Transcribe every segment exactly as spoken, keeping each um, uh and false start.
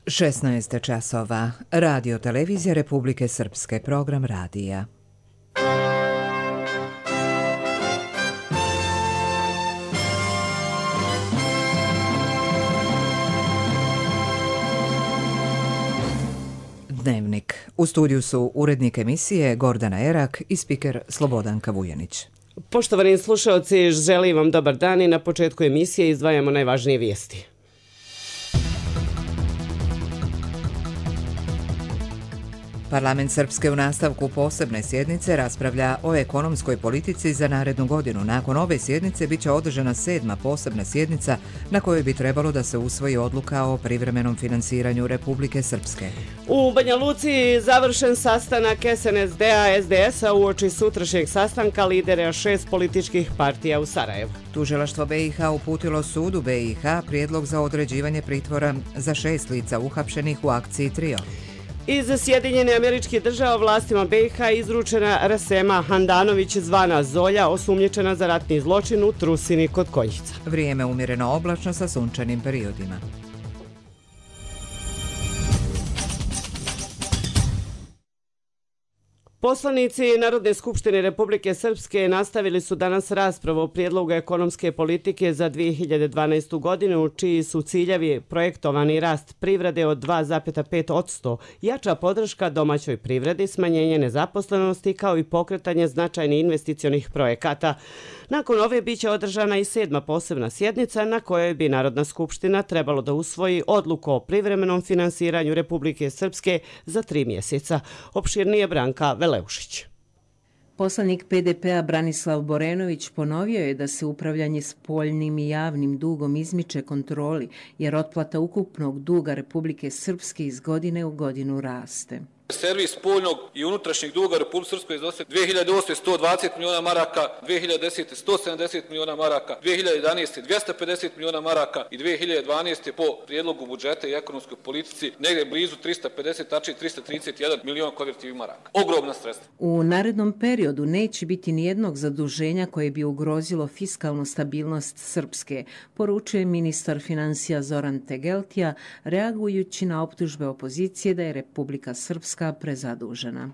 šesnaest časova. Radio televizija Republike Srpske, program radija. Dnevnik. U studiju su urednik emisije Gordana Erak i spiker Slobodanka Vujanić. Poštovani slušalci, želim vam dobar dan i na početku emisije izdvajamo najvažnije vijesti. Parlament Srpske u nastavku posebne sjednice raspravlja o ekonomskoj politici za narednu godinu. Nakon ove sjednice biće održana sedma posebna sjednica na kojoj bi trebalo da se usvoji odluka o privremenom finansiranju Republike Srpske. U Banja Luci završen sastanak es en es de a es de es a uoči sutrašnjeg sastanka lidera šest političkih partija u Sarajevu. Tužilaštvo be i ha uputilo sudu be i ha prijedlog za određivanje pritvora za šest lica uhapšenih u akciji Trio. Iz Sjedinjene Američkih Država vlastima be i ha izručena Rasema Handanović zvana Zolja, osumnjičena za ratni zločin u Trusini kod Konjica. Vrijeme umjereno oblačno sa sunčanim periodima. Poslanici Narodne skupštine Republike Srpske nastavili su danas raspravu o prijedlogu ekonomske politike za dvije hiljade dvanaestu godinu, čiji su ciljevi projektovani rast privrede od dva zarez pet posto, jača podrška domaćoj privredi, smanjenje nezaposlenosti kao i pokretanje značajnih investicionih projekata. Nakon ove biće održana i sedma posebna sjednica na kojoj bi Narodna skupština trebalo da usvoji odluku o privremenom finansiranju Republike Srpske za tri mjeseca. Opširnije Branka Veleušić. Poslanik pe de pe a Branislav Borenović ponovio je da se upravljanje spoljnim i javnim dugom izmiče kontroli, jer otplata ukupnog duga Republike Srpske iz godine u godinu raste. Servis spoljnog i unutrašnjeg duga Republike Srpske iznosi dvije hiljade osme sto dvadeset miliona maraka, dvije hiljade desete sto sedamdeset miliona maraka, dvije hiljade jedanaeste dvjesto pedeset miliona maraka i dvije hiljade dvanaeste po prijedlogu budžeta i ekonomskoj politici negdje blizu trista pedeset, tačnije trista trideset jedan miliona konvertivnih maraka. Ogromna sredstva. U narednom periodu neće biti nijednog zaduženja koje bi ugrozilo fiskalnu stabilnost Srpske, poručuje ministar financija Zoran Tegeltija, reagujući na optužbe opozicije da je Republika Srpska prezadužena.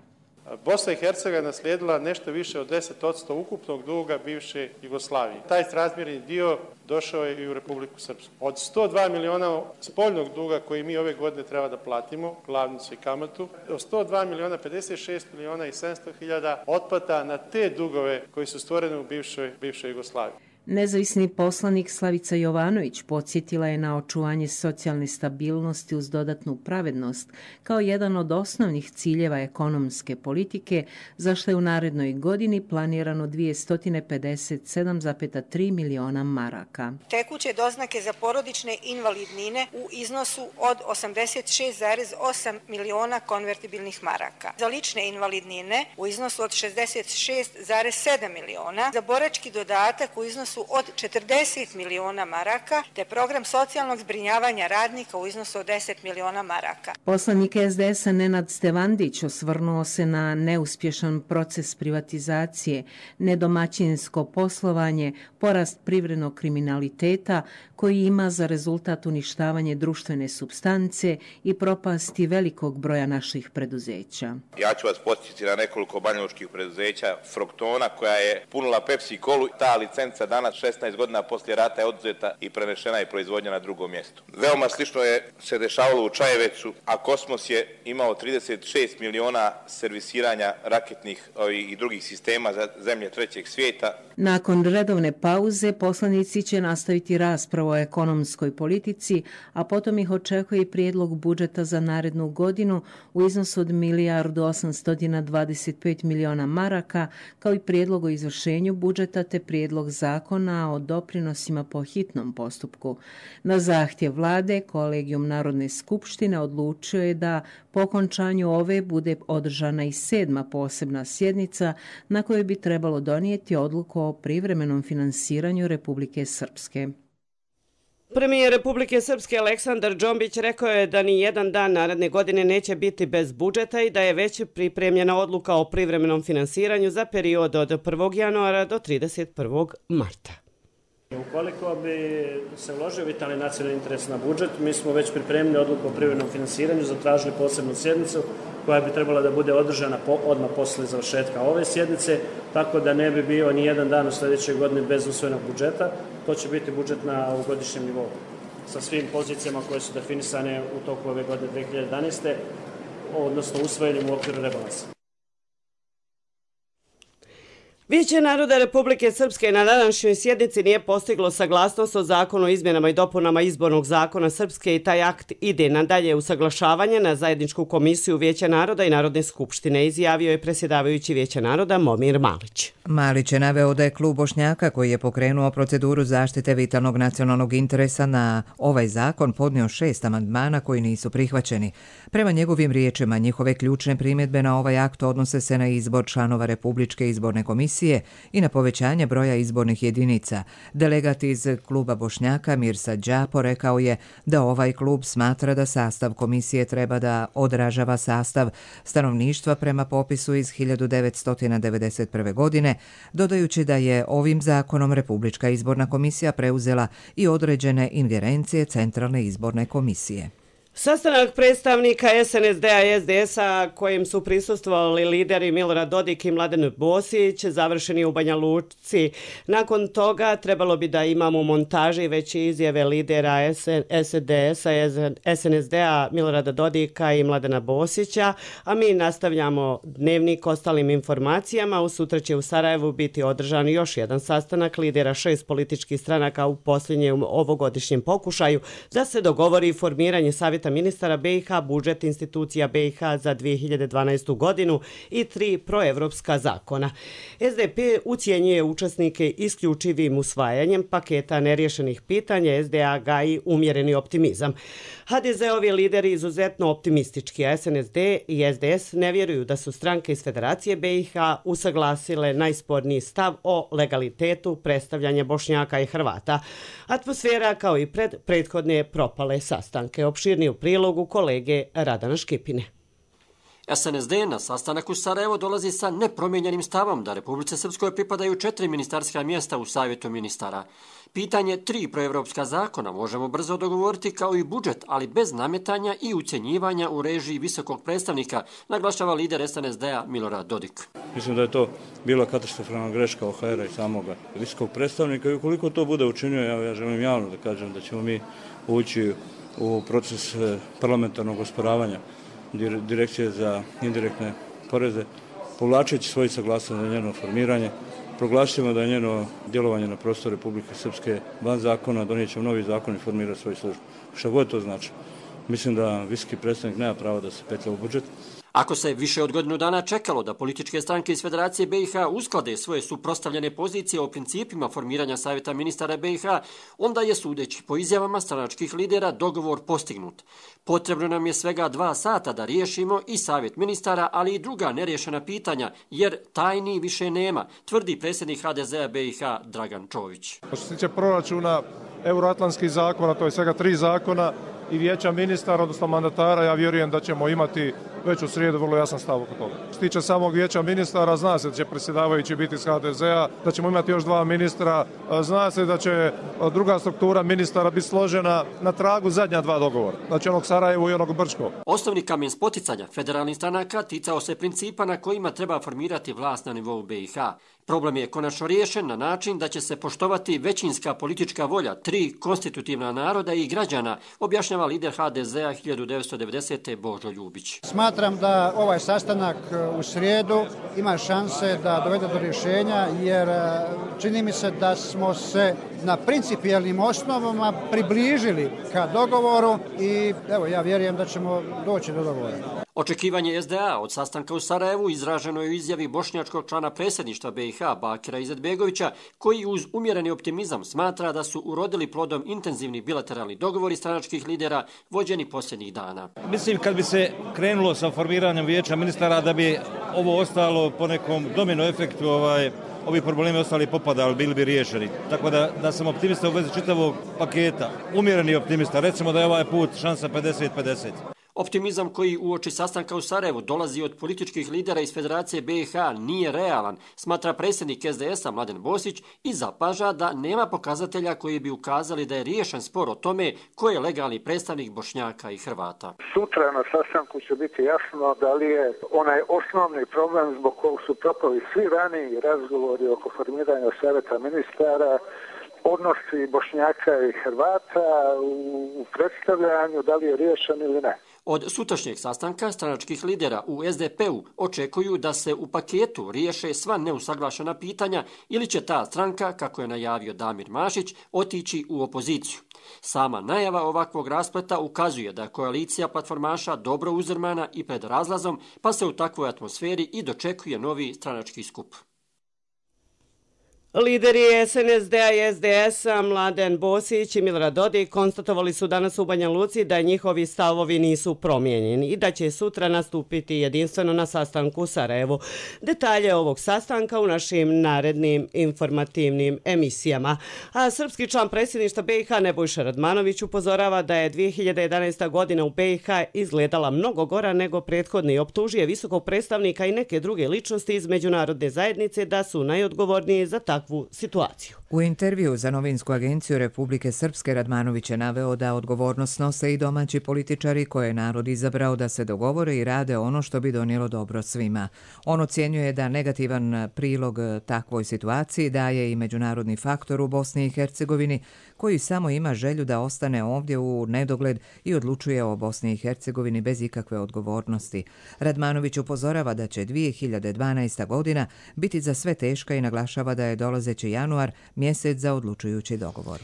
Bosna i Hercegovina naslijedila nešto više od deset posto ukupnog duga bivše Jugoslavije. Taj srazmjerni dio došao je i u Republiku Srpsku. Od sto dva miliona spoljnog duga koji mi ove godine treba da platimo, glavnicu i kamatu, od sto dva miliona pedeset šest miliona i sedamsto hiljada otplata na te dugove koji su stvoreni u bivšoj, bivšoj Jugoslaviji. Nezavisni poslanik Slavica Jovanović podsjetila je na očuvanje socijalne stabilnosti uz dodatnu pravednost kao jedan od osnovnih ciljeva ekonomske politike, za što je u narednoj godini planirano dvjesto pedeset sedam zarez tri miliona maraka. Tekuće doznake za porodične invalidnine u iznosu od osamdeset šest zarez osam miliona konvertibilnih maraka. Za lične invalidnine u iznosu od šezdeset šest zarez sedam miliona, za borački dodatak u iznosu od četrdeset miliona maraka, te program socijalnog zbrinjavanja radnika u iznosu od deset miliona maraka. Poslanik es de es a Nenad Stevandić osvrnuo se na neuspješan proces privatizacije, nedomaćinsko poslovanje, porast privrednog kriminaliteta koji ima za rezultat uništavanje društvene supstance i propasti velikog broja naših preduzeća. Ja ću vas podsjetiti na nekoliko banjalučkih preduzeća, Fruktona koja je punila Pepsi kolu, ta licenca danas šesnaest godina poslije rata je oduzeta i prenešena je proizvodnja na drugo mjesto. Veoma slično je se dešavalo u Čajevecu, a Kosmos je imao trideset šest miliona servisiranja raketnih i drugih sistema za zemlje trećeg svijeta. Nakon redovne pauze poslanici će nastaviti raspravu o ekonomskoj politici, a potom ih očekuje i prijedlog budžeta za narednu godinu u iznosu od milijardu osamsto dvadeset pet miliona maraka, kao i prijedlog o izvršenju budžeta te prijedlog zakona o doprinosima po hitnom postupku. Na zahtjev vlade, Kolegijum Narodne skupštine odlučio je da po okončanju ove bude održana i sedma posebna sjednica na kojoj bi trebalo donijeti odluku o privremenom finansiranju Republike Srpske. Premijer Republike Srpske Aleksandar Džombić rekao je da ni jedan dan naredne godine neće biti bez budžeta i da je već pripremljena odluka o privremenom finansiranju za period od prvog januara do trideset prvog marta. Ukoliko bi se uložio vitalni nacionalni interes na budžet, mi smo već pripremili odluku o privremenom finansiranju, zatražili posebnu sjednicu koja bi trebala da bude održana po, odmah posle završetka ove sjednice, tako da ne bi bio ni jedan dan u sljedećoj godini bez usvojenog budžeta. To će biti budžet na ovogodišnjem nivou sa svim pozicijama koje su definisane u toku ove godine dve hiljade jedanaeste. odnosno usvojenim u okviru rebalansa. Vijeće naroda Republike Srpske na današnjoj sjednici nije postiglo saglasnost o zakonu o izmjenama i dopunama izbornog zakona Srpske i taj akt ide na dalje usaglašavanje na zajedničku komisiju Vijeća naroda i Narodne skupštine, izjavio je predsjedavajući Vijeća naroda Momir Malić. Malić je naveo da je klub Bošnjaka koji je pokrenuo proceduru zaštite vitalnog nacionalnog interesa na ovaj zakon podnio šest amandmana koji nisu prihvaćeni. Prema njegovim riječima, njihove ključne primjedbe na ovaj akt odnose se na izbor članova Republičke izborne komisije i na povećanje broja izbornih jedinica. Delegat iz kluba Bošnjaka Mirsad Đapo rekao je da ovaj klub smatra da sastav komisije treba da odražava sastav stanovništva prema popisu iz hiljadu devetsto devedeset prve. godine, dodajući da je ovim zakonom Republička izborna komisija preuzela i određene ingerencije Centralne izborne komisije. Sastanak predstavnika S N S D-a i S D S-a kojim su prisustvovali lideri Milorad Dodik i Mladen Bosić završeni u Banja Luci. Nakon toga trebalo bi da imamo montaže i veće izjave lidera S D S-a i S N S D-a Milorada Dodika i Mladena Bosića, a mi nastavljamo dnevnik ostalim informacijama. U sutra će u Sarajevu biti održan još jedan sastanak lidera šest političkih stranaka u posljednjem ovogodišnjem pokušaju da se dogovori formiranje savjeta ministara B i H, budžet institucija B i H za dve hiljade dvanaestu. godinu i tri proevropska zakona. S D P ucijenjuje učesnike isključivim usvajanjem paketa neriješenih pitanja, S D A gaji umjereni optimizam. H D Z-ovi lideri izuzetno optimistički, a S N S D i S D S ne vjeruju da su stranke iz Federacije B i H usaglasile najsporniji stav o legalitetu predstavljanja Bošnjaka i Hrvata. Atmosfera kao i pred prethodne propale sastanke. Opširni u prilogu kolege Radana Škipine. S N S D na sastanak u Sarajevo dolazi sa nepromijenjenim stavom da Republici Srpskoj pripadaju četiri ministarska mjesta u Savjetu ministara. Pitanje tri proevropska zakona možemo brzo dogovoriti kao i budžet, ali bez nametanja i ucjenjivanja u režiji visokog predstavnika, naglašava lider S N S D-a Milorad Dodik. Mislim da je to bila katastrofalna greška O H R-a i samog visokog predstavnika i ukoliko to bude učinio, ja, ja želim javno da kažem da ćemo mi ući u proces parlamentarnog osporavanja Direkcije za indirektne poreze, povlačeći svoju saglasnost za njeno formiranje, proglašćemo da je njeno djelovanje na prostoru Republike Srpske van zakona, donijet ćemo novi zakon i formirati svoju službu. Šta god to znači. Mislim da visoki predstavnik nema pravo da se petlja u budžet. Ako se više od godinu dana čekalo da političke stranke iz Federacije B i H usklade svoje suprotstavljene pozicije o principima formiranja Savjeta ministara B i H, onda je, sudeći po izjavama stranačkih lidera, dogovor postignut. Potrebno nam je svega dva sata da riješimo i Savjet ministara, ali i druga neriješena pitanja, jer tajni više nema, tvrdi predsjednik H D Z-a B i H Dragan Čović. Što se tiče proračuna, euroatlantskih zakona, to je svega tri zakona, i vijeća ministara, odnosno mandatara, ja vjerujem da ćemo imati već u srijedu vrlo jasan stav oko toga. Što se tiče samog vijeća ministara, zna se da će predsjedavajući biti iz H D Z-a, da ćemo imati još dva ministra, zna se da će druga struktura ministara biti složena na tragu zadnja dva dogovora, znači onog Sarajevu i onog Brčkog. Osnovni kamen spoticanja federalnih stranaka ticao se principa na kojima treba formirati vlast na nivou B i H. Problem je konačno riješen na način da će se poštovati većinska politička volja tri konstitutivna naroda i građana, objašnjava lider H D Z-a hiljadu devetsto devedesete. Božo Ljubić. Smatram da ovaj sastanak u srijedu ima šanse da dovede do rješenja, jer čini mi se da smo se na principijelnim osnovama približili ka dogovoru i evo, ja vjerujem da ćemo doći do dogovora. Očekivanje S D A od sastanka u Sarajevu izraženo je u izjavi bošnjačkog člana predsjedništva B i H Bakira Izetbegovića, koji uz umjereni optimizam smatra da su urodili plodom intenzivni bilateralni dogovori stranačkih lidera vođeni posljednjih dana. Mislim, kad bi se krenulo sa formiranjem vijeća ministara, da bi ovo ostalo po nekom domino efektu, ovaj, ovi problemi ostali popadali, bili bi riješeni. Tako da, da sam optimista u vezi čitavog paketa, umjereni optimista, recimo da je ovaj put šansa pedeset pedeset. Optimizam koji uoči sastanka u Sarajevu dolazi od političkih lidera iz Federacije B i H nije realan, smatra predsjednik S D S-a Mladen Bosić i zapaža da nema pokazatelja koji bi ukazali da je riješen spor o tome ko je legalni predstavnik Bošnjaka i Hrvata. Sutra na sastanku će biti jasno da li je onaj osnovni problem zbog kog su propali svi raniji razgovori oko formiranja savjeta ministara, odnosi Bošnjaka i Hrvata u predstavljanju, da li je riješen ili ne. Od sutrašnjeg sastanka stranačkih lidera u S D P-u očekuju da se u paketu riješe sva neusaglašena pitanja ili će ta stranka, kako je najavio Damir Mašić, otići u opoziciju. Sama najava ovakvog raspleta ukazuje da je koalicija platformaša dobro uzdrmana i pred razlazom, pa se u takvoj atmosferi i dočekuje novi stranački skup. Lideri S N S D-a i S D S-a Mladen Bosić i Milorad Dodik konstatovali su danas u Banja Luci da njihovi stavovi nisu promijenjeni i da će sutra nastupiti jedinstveno na sastanku u Sarajevu. Detalje ovog sastanka u našim narednim informativnim emisijama. A srpski član predsjedništva B i H Nebojša Radmanović upozorava da je dvije hiljade jedanaesta. godina u B i H izgledala mnogo gora nego prethodni i optužuje visokog predstavnika i neke druge ličnosti iz međunarodne zajednice da su najodgovorniji za takvu situaciju. U intervju za novinsku agenciju Republike Srpske Radmanović je naveo da odgovornost nose i domaći političari koje je narod izabrao da se dogovore i rade ono što bi donijelo dobro svima. On ocjenjuje da negativan prilog takvoj situaciji daje i međunarodni faktor u Bosni i Hercegovini koji samo ima želju da ostane ovdje u nedogled i odlučuje o Bosni i Hercegovini bez ikakve odgovornosti. Radmanović upozorava da će dvije hiljade dvanaesta. godina biti za sve teška i naglašava da je dolazeći januar mjesec za odlučujući dogovor.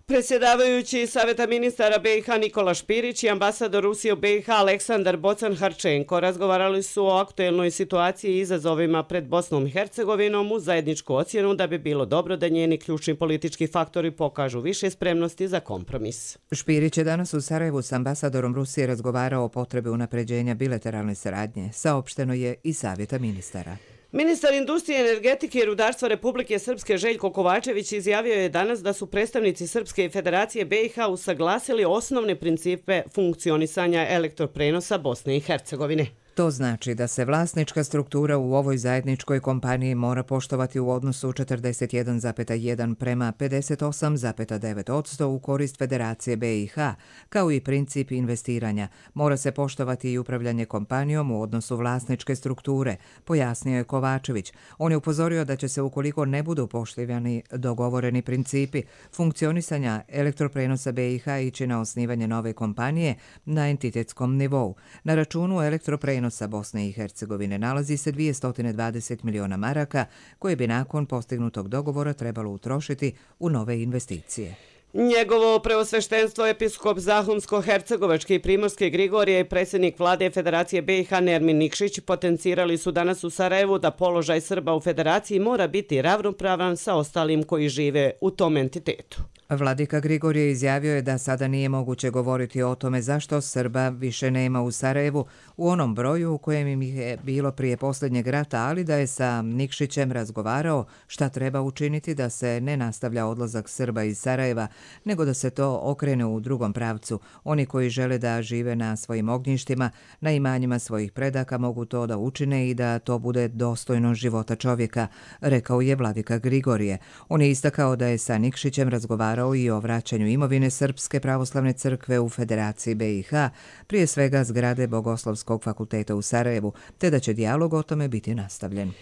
Predsjedavajući Savjeta ministara B i H Nikola Špirić i ambasador Rusije u B i H Aleksandar Bocan-Harčenko razgovarali su o aktuelnoj situaciji i izazovima pred Bosnom i Hercegovinom uz zajedničku ocjenu da bi bilo dobro da njeni ključni politički faktori pokažu više spremnosti za kompromis. Špirić je danas u Sarajevu s ambasadorom Rusije razgovarao o potrebi unapređenja bilateralne saradnje, saopšteno je i Savjeta ministara. Ministar industrije, energetike i rudarstva Republike Srpske Željko Kovačević izjavio je danas da su predstavnici Srpske federacije B i H usaglasili osnovne principe funkcionisanja elektroprenosa Bosne i Hercegovine. To znači da se vlasnička struktura u ovoj zajedničkoj kompaniji mora poštovati u odnosu četrdeset jedan zarez jedan prema pedeset osam zarez devet posto u korist Federacije B i H, kao i princip investiranja. Mora se poštovati i upravljanje kompanijom u odnosu vlasničke strukture, pojasnio je Kovačević. On je upozorio da će se, ukoliko ne budu poštivani dogovoreni principi funkcionisanja elektroprenosa B i H, ići na osnivanje nove kompanije na entitetskom nivou. Na računu elektroprenosa sa Bosne i Hercegovine nalazi se dvjesto dvadeset miliona maraka koje bi nakon postignutog dogovora trebalo utrošiti u nove investicije. Njegovo preosveštenstvo episkop Zahumsko-Hercegovačke i Primorske Grigorije i predsjednik vlade Federacije B i H Nermin Nikšić potencirali su danas u Sarajevu da položaj Srba u Federaciji mora biti ravnopravan sa ostalim koji žive u tom entitetu. Vladika Grigorije izjavio je da sada nije moguće govoriti o tome zašto Srba više nema u Sarajevu u onom broju u kojem im je bilo prije posljednjeg rata, ali da je sa Nikšićem razgovarao šta treba učiniti da se ne nastavlja odlazak Srba iz Sarajeva, nego da se to okrene u drugom pravcu. Oni koji žele da žive na svojim ognjištima, na imanjima svojih predaka, mogu to da učine i da to bude dostojno života čovjeka, rekao je vladika Grigorije. On je istakao da je sa Nikšićem razgovarao i o vraćanju imovine Srpske pravoslavne crkve u Federaciji B i H, prije svega zgrade Bogoslovskog fakulteta u Sarajevu, te da će dijalog o tome biti nastavljen.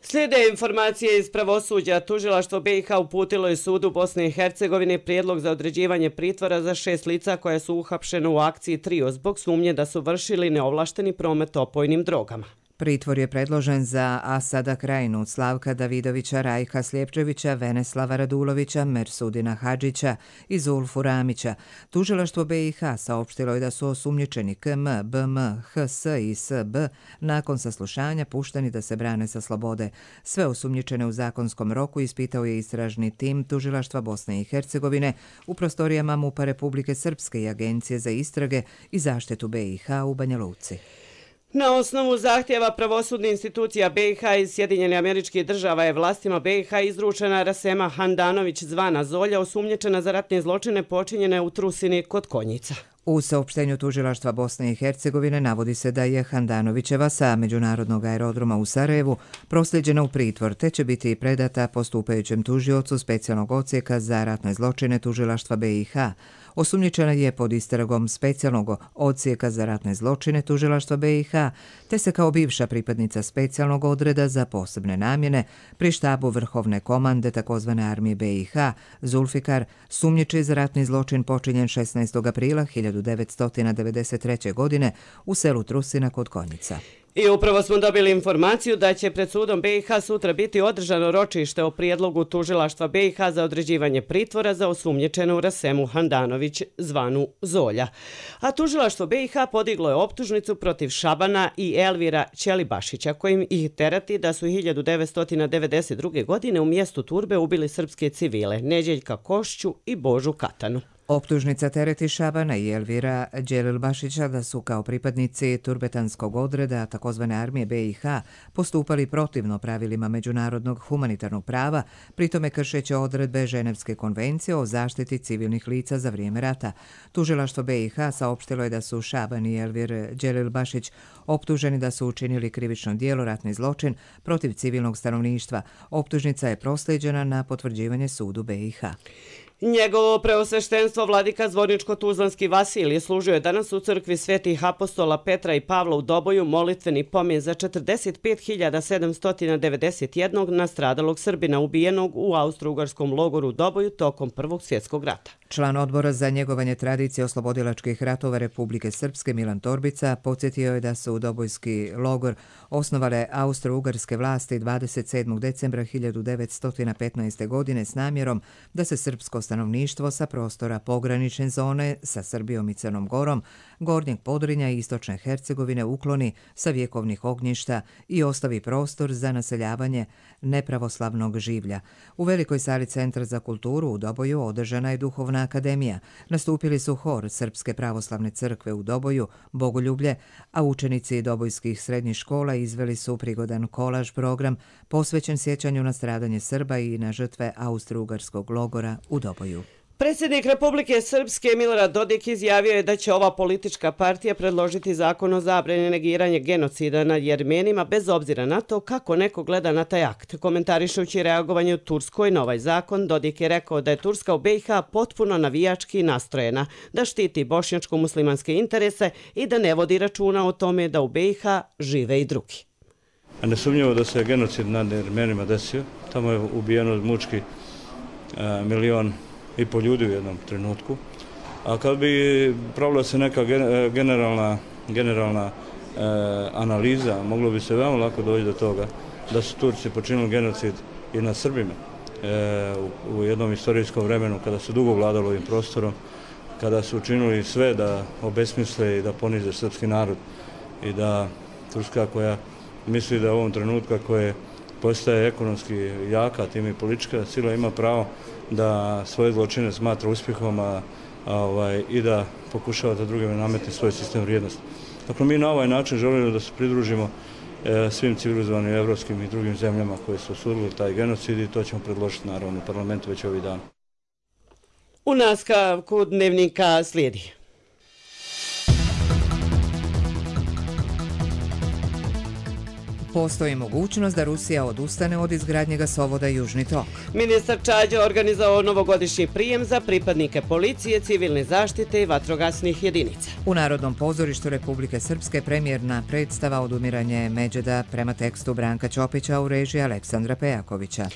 Slijede informacije iz pravosuđa. Tužilaštvo B i H uputilo je sudu Bosne i Hercegovine prijedlog za određivanje pritvora za šest lica koja su uhapšena u akciji Trio zbog sumnje da su vršili neovlašteni promet opojnim drogama. Pritvor je predložen za Asada Krajinu, Slavka Davidovića, Rajka Sljepčevića, Veneslava Radulovića, Mersudina Hadžića i Zulfu Ramića. Tužilaštvo B i H saopštilo je da su osumnjičeni K M, B M, H S i S B nakon saslušanja pušteni da se brane sa slobode. Sve osumnjičene u zakonskom roku ispitao je istražni tim Tužilaštva Bosne i Hercegovine u prostorijama MUP-a Republike Srpske i Agencije za istrage i zaštitu B i H u Banja Luci. Na osnovu zahtjeva pravosudnih institucija B i H iz Sjedinjenih Američkih Država je vlastima B i H izručena Rasema Handanović zvana Zolja, osumnjičena za ratne zločine počinjene u Trusini kod Konjica. U saopštenju tužilaštva Bosne i Hercegovine navodi se da je Handanovićeva sa međunarodnog aerodroma u Sarajevu prosljeđena u pritvor, te će biti predata postupajućem tužiocu specijalnog odsjeka za ratne zločine tužilaštva B i H. Osumnjičena je pod istragom specijalnog odsjeka za ratne zločine tužilaštva B i H, te se kao bivša pripadnica specijalnog odreda za posebne namjene pri štabu Vrhovne komande takozvane armije B i H Zulfikar sumnjiči za ratni zločin počinjen šesnaestog aprila hiljadu devetsto devedeset treće. godine u selu Trusina kod Konjica. I upravo smo dobili informaciju da će pred sudom B i H sutra biti održano ročište o prijedlogu tužilaštva B i H za određivanje pritvora za osumnjičenu Rasemu Handanović zvanu Zolja. A tužilaštvo B i H podiglo je optužnicu protiv Šabana i Elvira Ćelibašića, kojim ih terati da su hiljadu devetsto devedeset druge. godine u mjestu Turbe ubili srpske civile Neđeljka Košću i Božu Katanu. Optužnica tereti Šabana i Elvira Ćelibašića da su kao pripadnici turbetanskog odreda takozvane armije B i H postupali protivno pravilima međunarodnog humanitarnog prava, pritome kršeći odredbe Ženevske konvencije o zaštiti civilnih lica za vrijeme rata. Tužilaštvo B i H saopštilo je da su Šaban i Elvir Ćelibašić optuženi da su učinili krivično djelo ratni zločin protiv civilnog stanovništva. Optužnica je proslijeđena na potvrđivanje sudu B i H. Njegovo preosveštenstvo vladika Zvorničko-Tuzlanski Vasilije služio je danas u crkvi svetih apostola Petra i Pavla u Doboju molitveni pomen za četrdeset pet hiljada sedamsto devedeset jedan nastradalog Srbina ubijenog u austro-ugarskom logoru u Doboju tokom Prvog svjetskog rata. Član odbora za njegovanje tradicije oslobodilačkih ratova Republike Srpske Milan Torbica podsjetio je da su u Dobojski logor osnovale austro-ugarske vlasti dvadeset sedmog decembra hiljadu devetsto petnaeste. godine s namjerom da se srpsko stanovništvo sa prostora pogranične zone sa Srbijom i Crnom Gorom, Gornjeg Podrinja i Istočne Hercegovine ukloni sa vjekovnih ognjišta i ostavi prostor za naseljavanje nepravoslavnog življa. U velikoj sali Centra za kulturu u Doboju održana je duhovna akademija. Nastupili su hor Srpske pravoslavne crkve u Doboju, Bogoljublje, a učenici dobojskih srednjih škola izveli su prigodan kolaž program posvećen sjećanju na stradanje Srba i na žrtve austro-ugarskog logora u Doboju. Predsjednik Republike Srpske Milorad Dodik izjavio je da će ova politička partija predložiti zakon o zabrani negiranja genocida nad Jermenima bez obzira na to kako neko gleda na taj akt. Komentarišući reagovanje u Turskoj na ovaj zakon, Dodik je rekao da je Turska u B i H potpuno navijački nastrojena, da štiti bošnjačko-muslimanske interese i da ne vodi računa o tome da u B i H žive i drugi. Nesumnjivo da se genocid nad Jermenima desio. Tamo je ubijeno mučki a, milion i po ljudi u jednom trenutku. A kad bi pravila se neka generalna, generalna e, analiza, moglo bi se veoma lako doći do toga da su Turci počinili genocid i nad Srbima e, u, u jednom istorijskom vremenu kada su dugo vladali ovim prostorom, kada su učinili sve da obesmisle i da ponize srpski narod i da Turska koja misli da u ovom trenutku koje postaje ekonomski jaka, tim i politička sila ima pravo da svoje zločine smatra uspjehom a, a, ovaj, i da pokušava da drugima nametne svoj sistem vrijednosti. Dakle, mi na ovaj način želimo da se pridružimo e, svim civilizovanim evropskim i drugim zemljama koje su osudili taj genocid i to ćemo predložiti naravno u parlamentu već ovih dana. U nastavku dnevnika slijedi. Postoji mogućnost da Rusija odustane od izgradnje gasovoda Južni tok. Ministar Čađa organizovao novogodišnji prijem za pripadnike policije, civilne zaštite i vatrogasnih jedinica. U Narodnom pozorištu Republike Srpske premijerna predstava Odumiranje Međeda prema tekstu Branka Ćopića u režiji Aleksandra Pejakovića.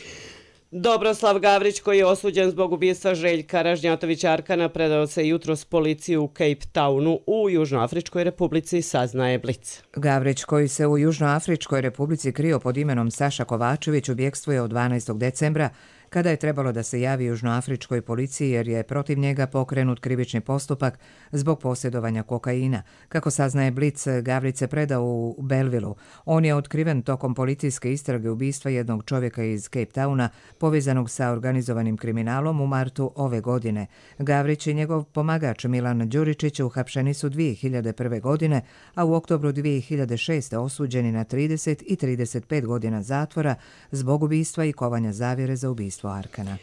Dobroslav Gavrić, koji je osuđen zbog ubistva Željka Ražnjatovića Arkana, predao se jutros policiji u Cape Townu u Južnoafričkoj republici, saznaje Blic. Gavrić, koji se u Južnoafričkoj republici krio pod imenom Saša Kovačević, u bjegstvu je od dvanaestog decembra, kada je trebalo da se javi Južnoafričkoj policiji jer je protiv njega pokrenut krivični postupak zbog posjedovanja kokaina. Kako saznaje Blic, Gavrić se predao u Belvilu. On je otkriven tokom policijske istrage ubistva jednog čovjeka iz Cape Towna povezanog sa organizovanim kriminalom u martu ove godine. Gavrić i njegov pomagač Milan Đuričić uhapšeni su dvije hiljade prve. godine, a u oktobru dvije hiljade šeste. osuđeni na trideset i trideset pet godina zatvora zbog ubistva i kovanja zavjere za ubistvo Arkana.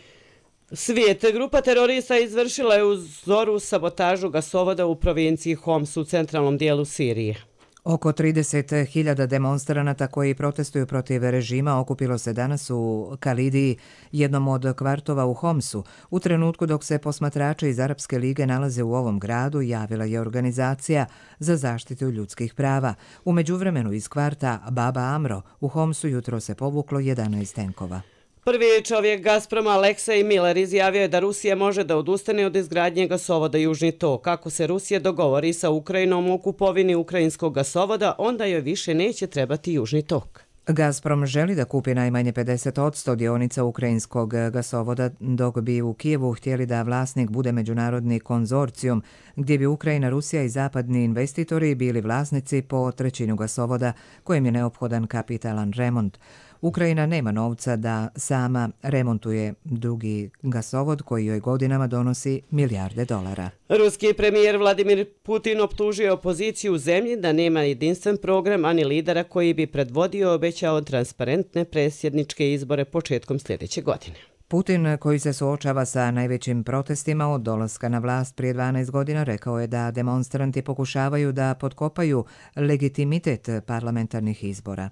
Svijet. Grupa terorista izvršila je u zoru sabotažu gasovoda u provinciji Homs u centralnom dijelu Sirije. Oko trideset hiljada demonstranata koji protestuju protiv režima okupilo se danas u Kalidiji, jednom od kvartova u Homsu. U trenutku dok se posmatrači iz Arapske lige nalaze u ovom gradu, javila je organizacija za zaštitu ljudskih prava. U međuvremenu iz kvarta Baba Amro u Homsu jutro se povuklo jedanaest tenkova. Prvi čovjek Gazproma Aleksej Miller izjavio je da Rusija može da odustane od izgradnje gasovoda Južni tok. Kako se Rusija dogovori sa Ukrajinom u kupovini ukrajinskog gasovoda, onda joj više neće trebati Južni tok. Gazprom želi da kupi najmanje pedeset posto dionica ukrajinskog gasovoda, dok bi u Kijevu htjeli da vlasnik bude međunarodni konzorcijum, gdje bi Ukrajina, Rusija i zapadni investitori bili vlasnici po trećinu gasovoda, kojem je neophodan kapitalan remont. Ukrajina nema novca da sama remontuje drugi gasovod koji joj godinama donosi milijarde dolara. Ruski premijer Vladimir Putin optužio opoziciju u zemlji da nema jedinstven program ani lidera koji bi predvodio i obećao transparentne predsjedničke izbore početkom sljedeće godine. Putin, koji se suočava sa najvećim protestima od dolaska na vlast prije dvanaest godina, rekao je da demonstranti pokušavaju da potkopaju legitimitet parlamentarnih izbora.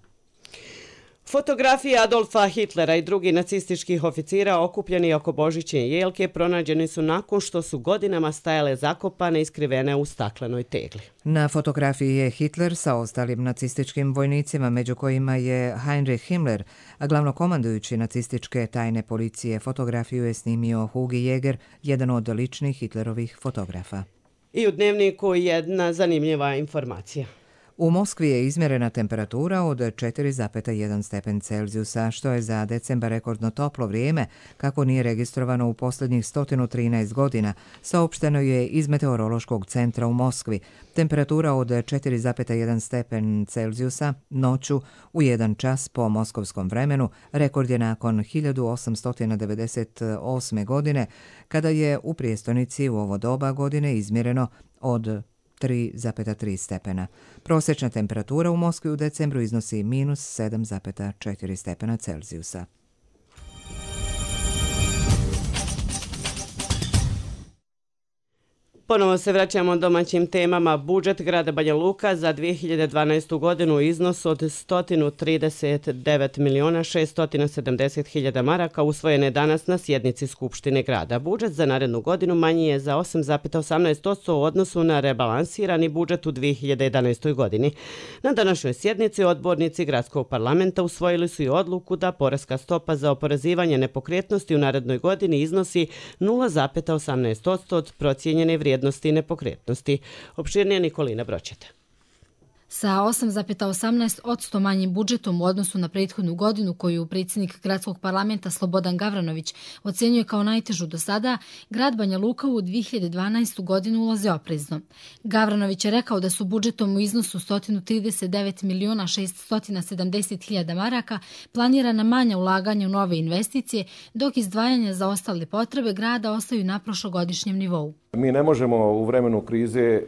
Fotografije Adolfa Hitlera i drugih nacističkih oficira okupljeni oko božićne jelke pronađeni su nakon što su godinama stajale zakopane i skrivene u staklenoj tegli. Na fotografiji je Hitler sa ostalim nacističkim vojnicima, među kojima je Heinrich Himmler, a glavnokomandujući nacističke tajne policije. Fotografiju je snimio Hugi Jäger, jedan od ličnih Hitlerovih fotografa. I u Dnevniku jedna zanimljiva informacija. U Moskvi je izmjerena temperatura od četiri zarez jedan stepen Celzijusa, što je za decembar rekordno toplo vrijeme, kako nije registrovano u posljednjih sto trinaest godina, saopšteno je iz Meteorološkog centra u Moskvi. Temperatura od četiri zarez jedan stepen Celzijusa noću u jedan čas po moskovskom vremenu rekord je nakon hiljadu osamsto devedeset osme. godine, kada je u prijestolnici u ovo doba godine izmjereno od tri zarez tri stepena. Prosječna temperatura u Moskvi u decembru iznosi minus sedam zarez četiri stepena Celzijusa. Ponovo se vraćamo domaćim temama. Budžet grada Banja Luka za dvije hiljade dvanaestu godinu u iznosu od sto trideset devet miliona šesto sedamdeset hiljada maraka usvojen je danas na sjednici Skupštine grada. Budžet za narednu godinu manji je za osam zarez osamnaest posto u odnosu na rebalansirani budžet u dvije hiljade jedanaestoj. godini. Na današnjoj sjednici odbornici gradskog parlamenta usvojili su i odluku da poreska stopa za oporezivanje nepokretnosti u narednoj godini iznosi nula zarez osamnaest posto od procijenjene vrijednosti nepokretnosti. Opširnije Nikolina Bročeta. Sa osam zarez osamnaest posto manjim budžetom u odnosu na prethodnu godinu koju predsjednik gradskog parlamenta Slobodan Gavranović ocjenjuje kao najtežu do sada, grad Banja Luka u dvije hiljade dvanaestu. godinu ulaze oprezno. Gavranović je rekao da su budžetom u iznosu sto trideset devet miliona šesto sedamdeset hiljada maraka planirana manja ulaganja u nove investicije, dok izdvajanja za ostale potrebe grada ostaju na prošlogodišnjem nivou. Mi ne možemo u vremenu krize e,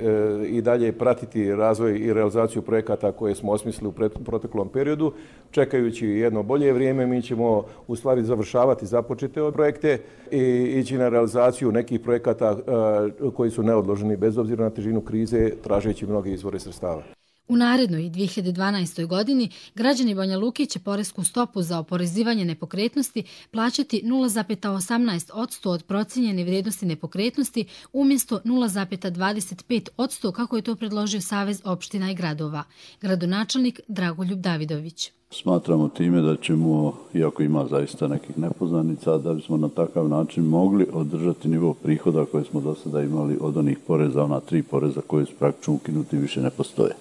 i dalje pratiti razvoj i realizaciju projekata koje smo osmislili u proteklom periodu. Čekajući jedno bolje vrijeme, mi ćemo u stvari završavati započete projekte i ići na realizaciju nekih projekata e, koji su neodloženi bez obzira na težinu krize, tražeći mnoge izvore sredstava. U narednoj dvije hiljade dvanaestoj. godini građani Banja Luke će poresku stopu za oporezivanje nepokretnosti plaćati nula zarez osamnaest posto od procijenjene vrijednosti nepokretnosti umjesto nula zarez dvadeset pet posto kako je to predložio Savez opština i gradova. Gradonačelnik Dragoljub Davidović. Smatramo time da ćemo, iako ima zaista nekih nepoznanica, da bismo na takav način mogli održati nivo prihoda koje smo do sada imali od onih poreza, ona tri poreza koje su praktično ukinuti više ne postoje.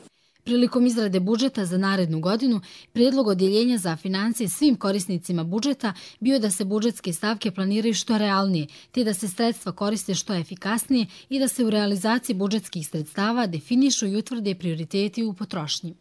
Prilikom izrade budžeta za narednu godinu, prijedlog odjeljenja za financije svim korisnicima budžeta bio je da se budžetske stavke planiraju što realnije, te da se sredstva koriste što efikasnije i da se u realizaciji budžetskih sredstava definišu i utvrde prioriteti u potrošnji.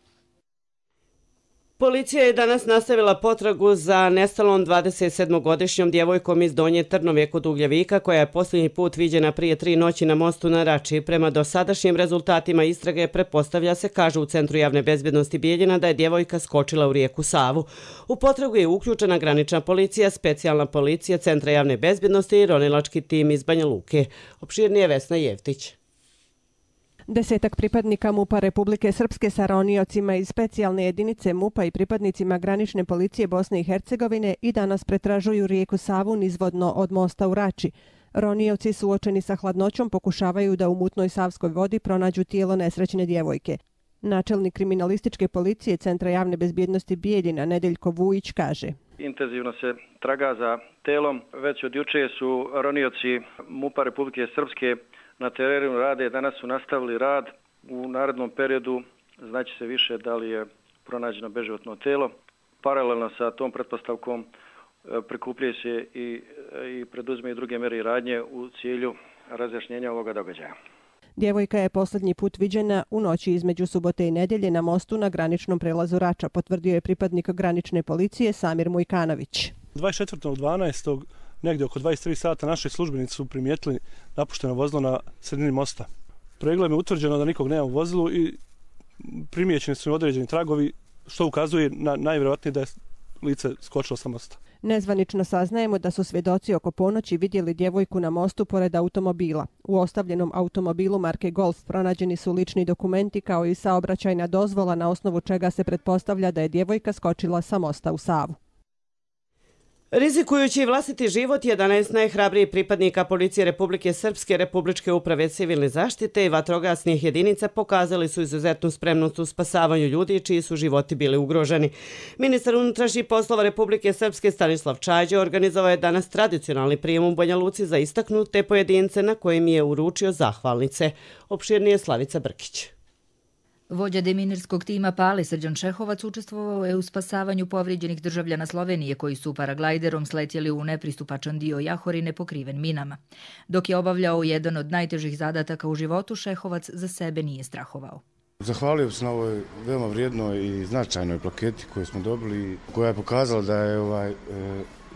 Policija je danas nastavila potragu za nestalom dvadesetsedmogodišnjom djevojkom iz Donje Trnove kod Ugljevika, koja je posljednji put viđena prije tri noći na mostu na Rači. Prema dosadašnjim rezultatima istrage pretpostavlja se, kaže u Centru javne bezbjednosti Bijeljina, da je djevojka skočila u rijeku Savu. U potragu je uključena granična policija, specijalna policija Centra javne bezbjednosti i ronilački tim iz Banja Luke. Opširnije Vesna Jevtić. Desetak pripadnika MUP-a Republike Srpske sa roniocima iz specijalne jedinice MUP-a i pripadnicima granične policije Bosne i Hercegovine i danas pretražuju rijeku Savu nizvodno od mosta u Rači. Ronioci suočeni sa hladnoćom pokušavaju da u mutnoj savskoj vodi pronađu tijelo nesrećne djevojke. Načelnik kriminalističke policije Centra javne bezbjednosti Bijeljina Nedeljko Vujić kaže: Intenzivno se traga za telom. Već od juče su ronioci MUP-a Republike Srpske na terenu rade, danas su nastavili rad. U narednom periodu znači se više da li je pronađeno beživotno telo. Paralelno sa tom pretpostavkom prikupljaju se i, i preduzme i druge mere i radnje u cilju razjašnjenja ovoga događaja. Djevojka je posljednji put viđena u noći između subote i nedjelje na mostu na graničnom prelazu Rača, potvrdio je pripadnik granične policije Samir Mujkanović. dvadeset četvrtog dvanaestog negdje oko dvadeset tri sata naši službenici su primijetili napušteno vozilo na sredini mosta. Pregledom je utvrđeno da nikog nema u vozilu i primijećeni su određeni tragovi, što ukazuje na najvjerojatnije da je lice skočilo sa mosta. Nezvanično saznajemo da su svjedoci oko ponoći vidjeli djevojku na mostu pored automobila. U ostavljenom automobilu marke Golf pronađeni su lični dokumenti kao i saobraćajna dozvola na osnovu čega se pretpostavlja da je djevojka skočila sa mosta u Savu. Rizikujući vlastiti život, jedanaest najhrabrijih pripadnika Policije Republike Srpske, Republičke uprave civilne zaštite i vatrogasnih jedinica pokazali su izuzetnu spremnost u spasavanju ljudi čiji su životi bili ugroženi. Ministar unutrašnjih poslova Republike Srpske Stanislav Čađo organizovao je danas tradicionalni prijem u Banja Luci za istaknute pojedince na kojim je uručio zahvalnice. Opširnije Slavica Brkić. Vođa deminirskog tima Pale Srđan Šehovac učestvovao je u spasavanju povrijeđenih državljana Slovenije koji su paraglajderom sletjeli u nepristupačan dio Jahorine pokriven minama. Dok je obavljao jedan od najtežih zadataka u životu, Šehovac za sebe nije strahovao. Zahvalio se na ovoj veoma vrijednoj i značajnoj plaketi koju smo dobili, koja je pokazala da je ovaj, e,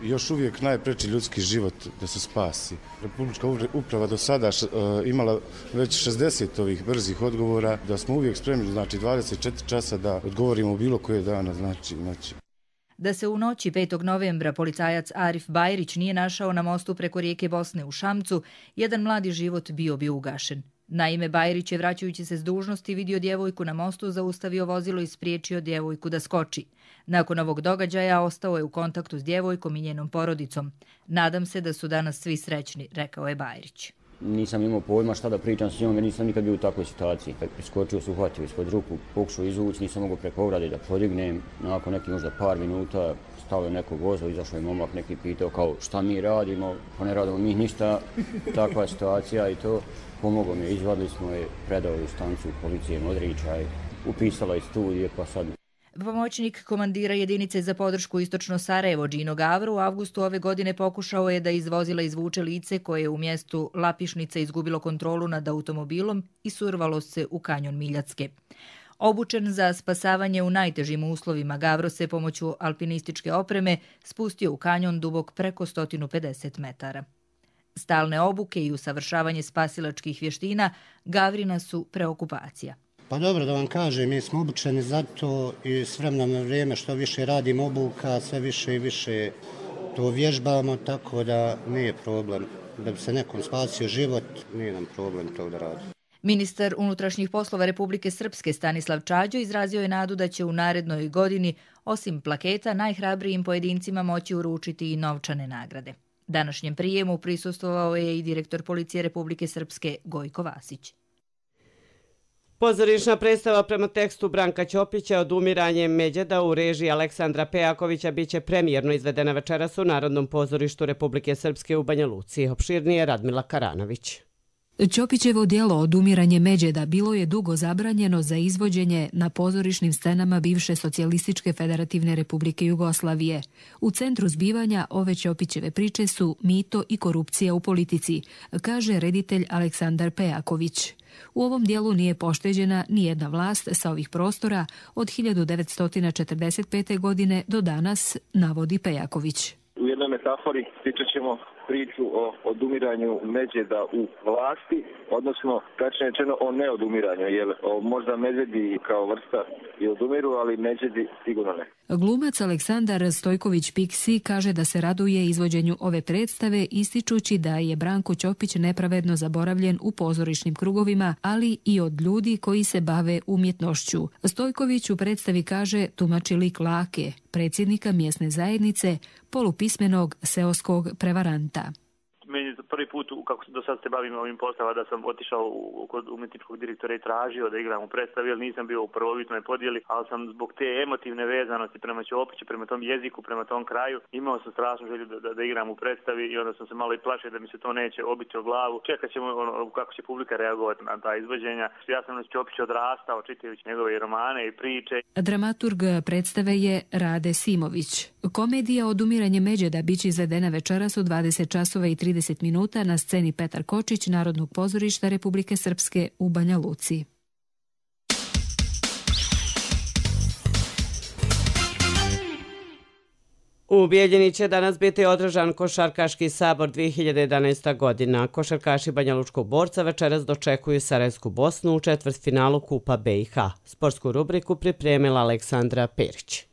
još uvijek najpreči ljudski život da se spasi. Republička uprava do sada š, e, imala već šezdeset ovih brzih odgovora, da smo uvijek spremni, znači dvadeset četiri časa da odgovorimo bilo koje dana, znači, znači. Da se u noći petog novembra policajac Arif Bajrić nije našao na mostu preko rijeke Bosne u Šamcu, jedan mladi život bio bi ugašen. Naime, Bajrić je, vraćajući se s dužnosti, vidio djevojku na mostu, zaustavio vozilo i spriječio djevojku da skoči. Nakon ovog događaja ostao je u kontaktu s djevojkom i njenom porodicom. Nadam se da su danas svi srećni, rekao je Bajrić. Nisam imao pojma šta da pričam s njom jer nisam nikad bio u takvoj situaciji. Kad priskočio se uhvatio ispod ruku, pokušao izvući, nisam mogao preko ograde da podignem. Nakon nekih možda par minuta stao je neko vozilo, izašao je momak, neki pitao kao šta mi radimo, pa ne radimo mi ništa, takva situacija i to. Pomogao mi, izvadili smo je, predao u stancu policije Modričaj, upisala iz studije, pa sad... Pomoćnik komandira jedinice za podršku Istočno Sarajevo Džino Gavro u avgustu ove godine pokušao je da iz vozila izvuče lice koje je u mjestu Lapišnica izgubilo kontrolu nad automobilom i survalo se u kanjon Miljacke. Obučen za spasavanje u najtežim uslovima, Gavro se pomoću alpinističke opreme spustio u kanjon dubok preko sto pedeset metara. Stalne obuke i usavršavanje spasilačkih vještina Gavrina su preokupacija. Pa dobro da vam kažem, mi smo obučeni za to i s vremenom na vrijeme što više radimo obuka, sve više i više to vježbamo, tako da nije problem. Da bi se nekom spasio život, nije nam problem to da radi. Ministar unutrašnjih poslova Republike Srpske Stanislav Čađo izrazio je nadu da će u narednoj godini, osim plaketa, najhrabrijim pojedincima moći uručiti i novčane nagrade. Današnjem prijemu prisustvovao je i direktor Policije Republike Srpske Gojko Vasić. Pozorišna predstava prema tekstu Branka Ćopića Odumiranje Međeda u režiji Aleksandra Pejakovića biće premijerno izvedena večeras u Narodnom pozorištu Republike Srpske u Banja Luci. Opširnije Radmila Karanović. Ćopićevo djelo Odumiranje Međeda bilo je dugo zabranjeno za izvođenje na pozorišnim scenama bivše Socijalističke federativne republike Jugoslavije. U centru zbivanja ove Ćopićeve priče su mito i korupcija u politici, kaže reditelj Aleksandar Pejaković. U ovom dijelu nije pošteđena ni jedna vlast sa ovih prostora od hiljadu devetsto četrdeset pete. godine do danas, navodi Pejaković. U jednoj metafori pričat ćemo priču o odumiranju Međeda u vlasti, odnosno tačnije rečeno o neodumiranju, jer o, možda medvedi kao vrsta i odumiru, ali Međedi sigurno ne. Glumac Aleksandar Stojković-Piksi kaže da se raduje izvođenju ove predstave, ističući da je Branko Ćopić nepravedno zaboravljen u pozorišnim krugovima, ali i od ljudi koji se bave umjetnošću. Stojković u predstavi kaže tumači lik Lake, predsjednika mjesne zajednice, polupismenog seoskog prevaranta. Meni je prvi put, kako do sad se bavim ovim poslova, da sam otišao u, kod umjetničkog direktora i tražio da igram u predstavi, jer nisam bio u prvobitnoj podjeli, ali sam zbog te emotivne vezanosti prema Ćopiću, prema tom jeziku, prema tom kraju, imao sam strašnu želju da, da, da igram u predstavi i onda sam se malo i plašio da mi se to neće obiti o glavu. Čekat ćemo ono, kako će publika reagovati na ta izvođenja. Ja sam na Ćopiću odrastao čitajući njegove romane i priče. Dramaturg predstave je Rade Simović. Komedija Odumiranje Međeda biće izvedena večeras u dvadeset časova i trideset minuta na sceni Petar Kočić Narodnog pozorišta Republike Srpske u Banja Luci. U Bijeljini će danas biti održan Košarkaški sabor dvije hiljade jedanaesta. godina. Košarkaši Banja Lučkog Borca večeras dočekuju Sarajevsku Bosnu u četvrtfinalu Kupa B i H. Sportsku rubriku pripremila Aleksandra Perić.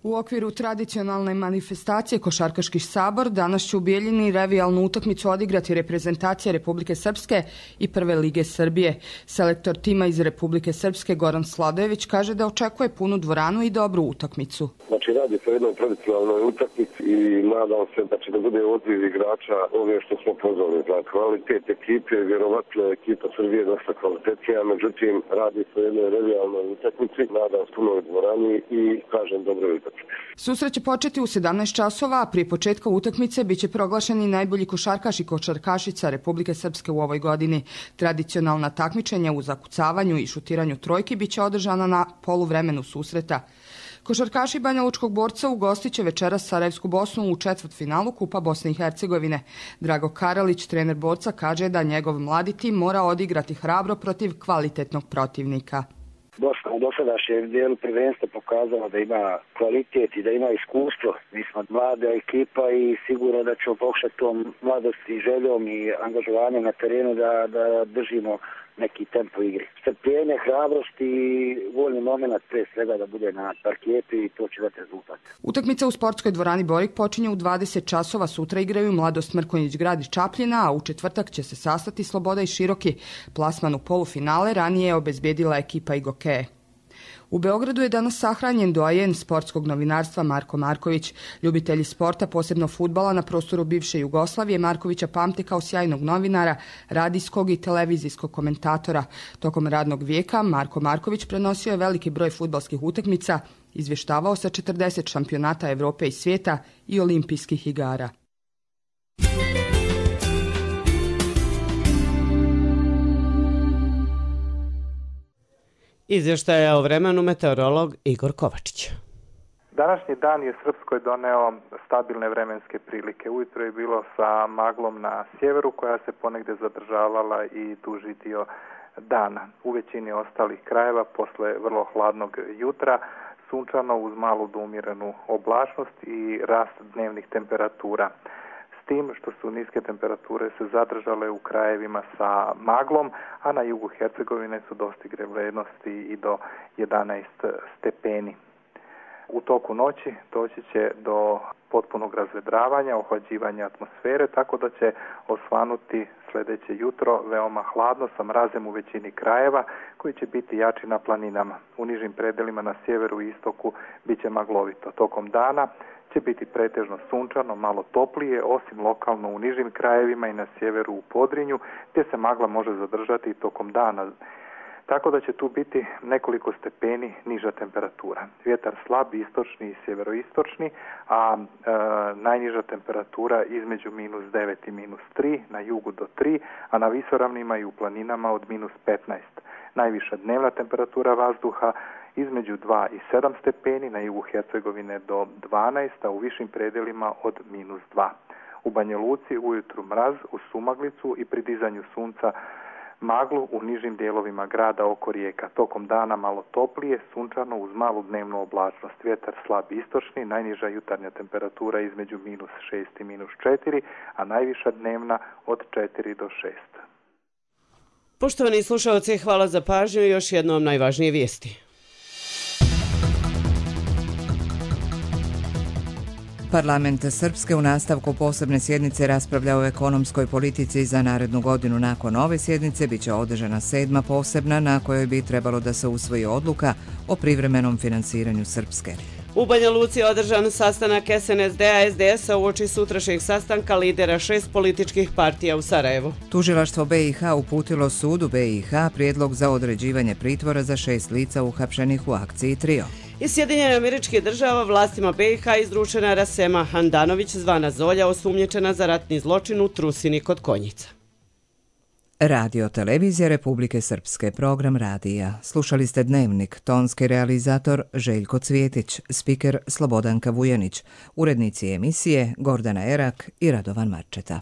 U okviru tradicionalne manifestacije Košarkaški sabor danas će u Bijeljini revijalnu utakmicu odigrati reprezentacija Republike Srpske i Prve lige Srbije. Selektor tima iz Republike Srpske Goran Sladojević kaže da očekuje punu dvoranu i dobru utakmicu. Znači radi se o jednoj tradicionalnoj utakmici i nadam se da će da bude odziv igrača ove što smo pozvali. Za kvalitet ekipe, vjerovatno ekipa Srbije je dosta kvalitetnija, međutim radi se o jednoj revijalnoj utakmici, nadam se punoj dvorani i kažem dobro utakmicu. Susret će početi u sedamnaest časova, a prije početka utakmice biće proglašeni najbolji košarkaš i košarkašica Republike Srpske u ovoj godini. Tradicionalna takmičenja u zakucavanju i šutiranju trojki biće održana na poluvremenu susreta. Košarkaši Banja Lučkog Borca ugostit će večeras Sarajevsku Bosnu u četvrtfinalu Kupa Bosne i Hercegovine. Drago Karalić, trener Borca, kaže da njegov mladi tim mora odigrati hrabro protiv kvalitetnog protivnika. Bosna u dosadašnjem dijelu prvenstva pokazala da ima kvalitet i da ima iskustvo. Mi smo mlada ekipa i sigurno da ćemo pokušati tom mladosti i željom i angažovanjem na terenu da, da držimo neki tempo igre. Strpljenje, hrabrost i voljni moment pre svega da bude na parketu i to će dati rezultat. Utakmica u sportskoj dvorani Borik počinje u dvadeset časova. Sutra igraju Mladost Mrkonjić Grad iz Čapljina, a u četvrtak će se sastati Sloboda i Široki. Plasman u polufinale ranije je obezbedila ekipa Igokeje. U Beogradu je danas sahranjen doajen sportskog novinarstva Marko Marković. Ljubitelji sporta, posebno fudbala na prostoru bivše Jugoslavije, Markovića pamte kao sjajnog novinara, radijskog i televizijskog komentatora. Tokom radnog vijeka Marko Marković prenosio je veliki broj fudbalskih utakmica, izvještavao sa četrdeset šampionata Evrope i svijeta i olimpijskih igara. Izvještaja o vremenu meteorolog Igor Kovačić. Današnji dan je Srpskoj doneo stabilne vremenske prilike. Ujutro je bilo sa maglom na sjeveru koja se ponegdje zadržavala i duži dio dana. U većini ostalih krajeva posle vrlo hladnog jutra sunčano uz malu do umjerenu oblačnost i rast dnevnih temperatura. S tim što su niske temperature se zadržale u krajevima sa maglom, a na jugu Hercegovine su dostigre vrednosti i do jedanaest stepeni. U toku noći doći će do potpunog razvedravanja, ohlađivanja atmosfere, tako da će osvanuti sljedeće jutro veoma hladno sa mrazem u većini krajeva koji će biti jači na planinama. U nižim predelima na sjeveru i istoku bit će maglovito. Tokom dana će biti pretežno sunčano, malo toplije, osim lokalno u nižim krajevima i na sjeveru u Podrinju, gdje se magla može zadržati i tokom dana. tako da će tu biti nekoliko stepeni niža temperatura. Vjetar slab, istočni i sjeveroistočni, a e, najniža temperatura između minus devet i minus tri, na jugu do tri, a na visoravnima i u planinama od minus petnaest. Najviša dnevna temperatura vazduha između dva i sedam stepeni, na jugu Hercegovine do dvanaest, a u višim predelima od minus dva. U Banja Luci ujutru mraz, u sumaglicu i pri dizanju sunca maglu u nižim dijelovima grada oko rijeka. Tokom dana malo toplije, sunčano uz malu dnevnu oblačnost. Vjetar slab istočni, najniža jutarnja temperatura između minus šest i minus četiri, a najviša dnevna od četiri do šest. Poštovani slušalci, hvala za pažnju i još jednom najvažnije vijesti. Parlament Srpske u nastavku posebne sjednice raspravlja o ekonomskoj politici za narednu godinu. Nakon ove sjednice biće održana sedma posebna na kojoj bi trebalo da se usvoji odluka o privremenom finansiranju Srpske. U Banja Luci je održan sastanak S N S D-a S D S-a uoči sutrašnjeg sastanka lidera šest političkih partija u Sarajevu. Tužilaštvo B i H uputilo sudu B i H prijedlog za određivanje pritvora za šest lica uhapšenih u akciji Trio. Iz Sjedinjenih Američkih Država vlastima B i H izručena Rasema Handanović, zvana Zolja, osumnjičena za ratni zločin u Trusini kod Konjica. Radio Televizija Republike Srpske, program radija. Slušali ste Dnevnik, tonski realizator Željko Cvjetić, spiker Slobodanka Vujanić, urednici emisije Gordana Erak i Radovan Marčeta.